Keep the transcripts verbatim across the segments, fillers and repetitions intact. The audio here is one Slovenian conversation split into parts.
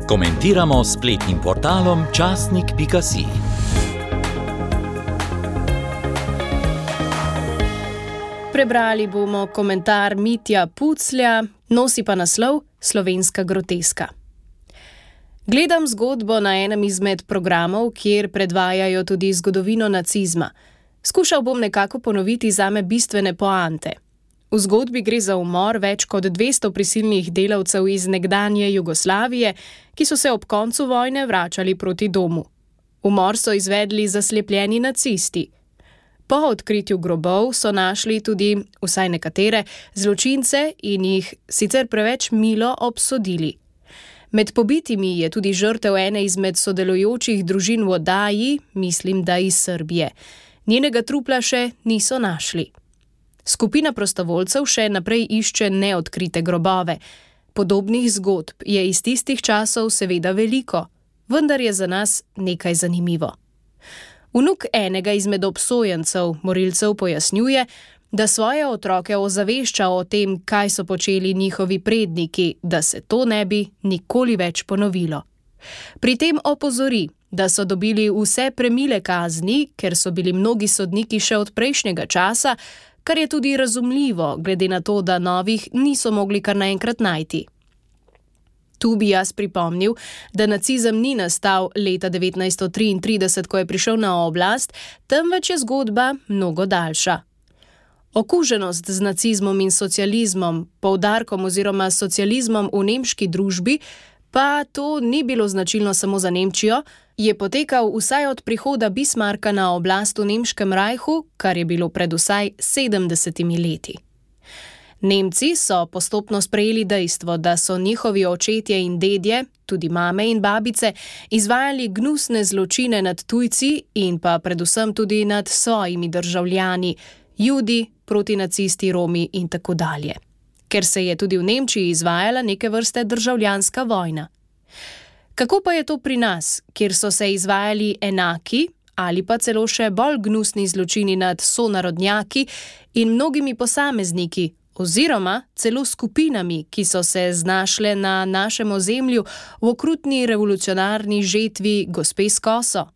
Komentiramo s spletnim portalom časnik pika si. Prebrali bomo komentar Mitja Puclja, nosi pa naslov Slovenska groteska. Gledam zgodbo na enem izmed programov, kjer predvajajo tudi zgodovino nacizma. Skušal bom nekako ponoviti zame bistvene poante. V zgodbi gre za umor več kot dvesto prisilnih delavcev iz nekdanje Jugoslavije, ki so se ob koncu vojne vračali proti domu. Umor so izvedli zaslepljeni nacisti. Po odkritju grobov so našli tudi, vsaj nekatere, zločince in jih sicer preveč milo obsodili. Med pobitimi je tudi žrtev ene izmed sodelujočih družin v oddaji, mislim, da iz Srbije. Njenega trupla še niso našli. Skupina prostovoljcev še naprej išče neodkrite grobove. Podobnih zgodb je iz tistih časov seveda veliko, vendar je za nas nekaj zanimivo. Vnuk enega izmed obsojencev, morilcev, pojasnjuje, da svoje otroke ozavešča o tem, kaj so počeli njihovi predniki, da se to ne bi nikoli več ponovilo. Pri tem opozori, da so dobili vse premile kazni, ker so bili mnogi sodniki še od prejšnjega časa, kar je tudi razumljivo, glede na to, da novih niso mogli kar naenkrat najti. Tu bi jaz pripomnil, da nacizem ni nastal leta devetnajststo triintrideset, ko je prišel na oblast, temveč je zgodba mnogo daljša. Okuženost z nacizmom in socializmom, poudarkom oziroma socializmom v nemški družbi, pa to ni bilo značilno samo za Nemčijo, je potekal vsaj od prihoda Bismarcka na oblast v nemškem rajhu, kar je bilo pred vsaj sedemdesetimi leti. Nemci so postopno sprejeli dejstvo, da so njihovi očetje in dedje, tudi mame in babice, izvajali gnusne zločine nad tujci in pa predvsem tudi nad svojimi državljani, Judi, protinacisti, Romi in tako dalje. Ker se je tudi v Nemčiji izvajala neke vrste državljanska vojna. Kako pa je to pri nas, kjer so se izvajali enaki ali pa celo še bolj gnusni zločini nad sonarodnjaki in mnogimi posamezniki, oziroma celo skupinami, ki so se znašle na našem ozemlju v okrutni revolucionarni žetvi gospe s koso?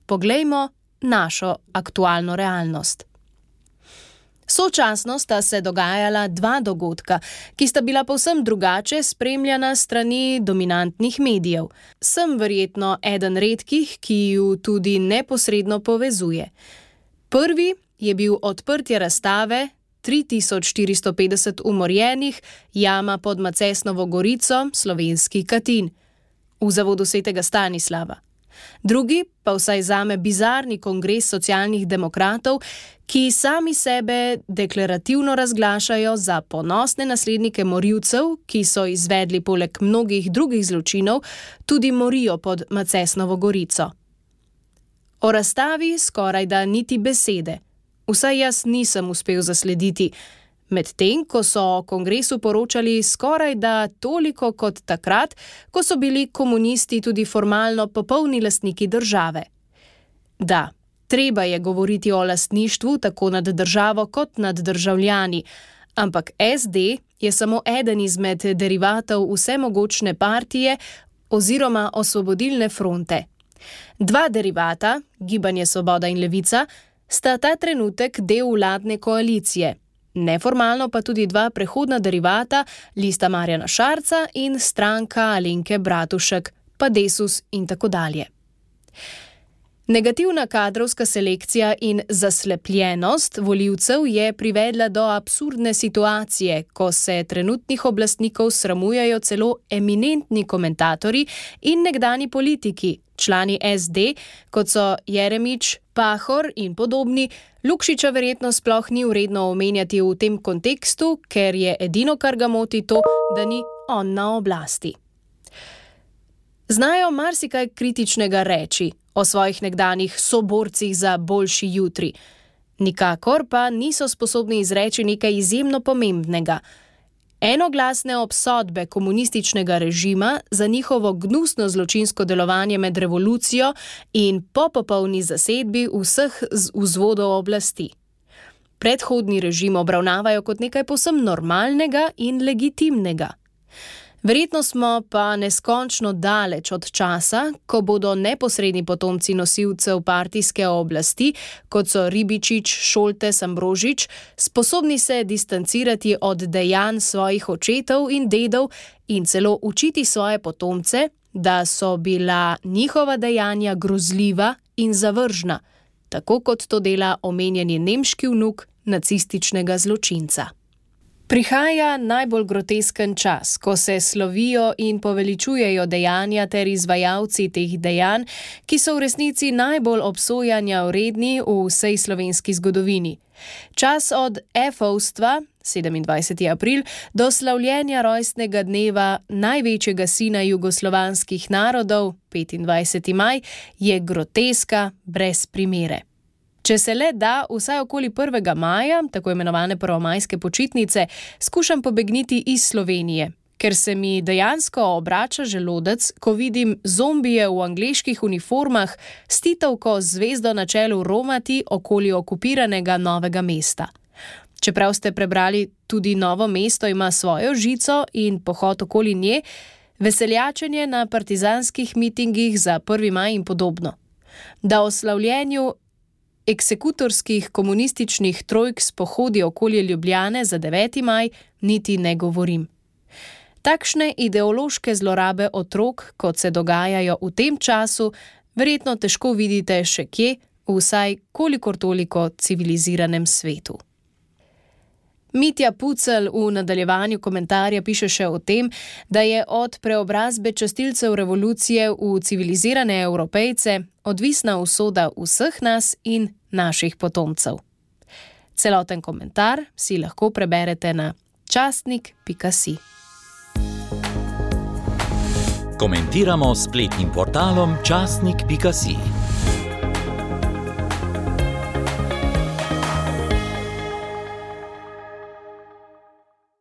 Poglejmo našo aktualno realnost. Sočasno sta se dogajala dva dogodka, ki sta bila povsem drugače spremljana strani dominantnih medijev. Sem verjetno eden redkih, ki ju tudi neposredno povezuje. Prvi je bil odprtje razstave tri tisoč štiristo petdeset umorjenih, jama pod Macesnovo gorico, slovenski Katin, v zavodu svetega Stanislava. Drugi pa vsaj zame bizarni kongres socialnih demokratov, ki sami sebe deklarativno razglašajo za ponosne naslednike morilcev, ki so izvedli poleg mnogih drugih zločinov tudi morijo pod Macesnovo gorico. O razstavi skorajda niti besede. Vsaj jaz nisem uspel zaslediti, medtem ko so o kongresu poročali skorajda toliko kot takrat, ko so bili komunisti tudi formalno popolni lastniki države. Da, treba je govoriti o lastništvu tako nad državo kot nad državljani, ampak es de je samo eden izmed derivatov vsemogočne partije oziroma Osvobodilne fronte. Dva derivata, Gibanje Svoboda in Levica, sta ta trenutek del vladne koalicije, neformalno pa tudi dva prehodna derivata, Lista Marjana Šarca in Stranka Alenke Bratušek, pa Desus in tako dalje. Negativna kadrovska selekcija in zaslepljenost volivcev je privedla do absurdne situacije, ko se trenutnih oblastnikov sramujejo celo eminentni komentatorji in nekdani politiki, člani es de, kot so Jeremič, Pahor in podobni. Lukšiča verjetno sploh ni vredno omenjati v tem kontekstu, ker je edino, kar ga moti, to, da ni on na oblasti. Znajo marsikaj kritičnega reči o svojih nekdanjih soborcih za boljši jutri. Nikakor pa niso sposobni izreči nekaj izjemno pomembnega. Enoglasne obsodbe komunističnega režima za njihovo gnusno zločinsko delovanje med revolucijo in po popolni zasedbi vseh vzvodov oblasti. Predhodni režim obravnavajo kot nekaj povsem normalnega in legitimnega. Verjetno smo pa neskončno daleč od časa, ko bodo neposredni potomci nosilcev partijske oblasti, kot so Ribičič, Šoltes, Ambrožič, sposobni se distancirati od dejanj svojih očetov in dedov in celo učiti svoje potomce, da so bila njihova dejanja grozljiva in zavržna, tako kot to dela omenjeni nemški vnuk nacističnega zločinca. Prihaja najbolj grotesken čas, ko se slovijo in poveličujejo dejanja ter izvajalci teh dejanj, ki so v resnici najbolj obsojanja vredni v vsej slovenski zgodovini. Čas od efovstva, sedemindvajseti april, do slavljenja rojstnega dneva največjega sina jugoslovanskih narodov, petindvajseti maj, je groteska brez primere. Če se le da, vsaj okoli prvega maja, tako imenovane prvomajske počitnice, skušam pobegniti iz Slovenije, ker se mi dejansko obrača želodec, ko vidim zombije v angleških uniformah s titovko z zvezdo na čelu romati okoli okupiranega Novega mesta. Čeprav ste prebrali tudi Novo mesto ima svojo žico in pohod okoli nje, veseljačenje na partizanskih mitingih za prvi maj in podobno. Da o slavljenju eksekutorskih komunističnih trojk s pohodi okoli Ljubljane za deveti maj niti ne govorim. Takšne ideološke zlorabe otrok, kot se dogajajo v tem času, verjetno težko vidite še kje, vsaj kolikor toliko civiliziranem svetu. Mitja Pucelj v nadaljevanju komentarja piše še o tem, da je od preobrazbe častilcev revolucije v civilizirane Evropejce odvisna usoda vseh nas in naših potomcev. Celoten komentar si lahko preberete na častnik pika si. Komentiramo s spletnim portalom častnik pika si.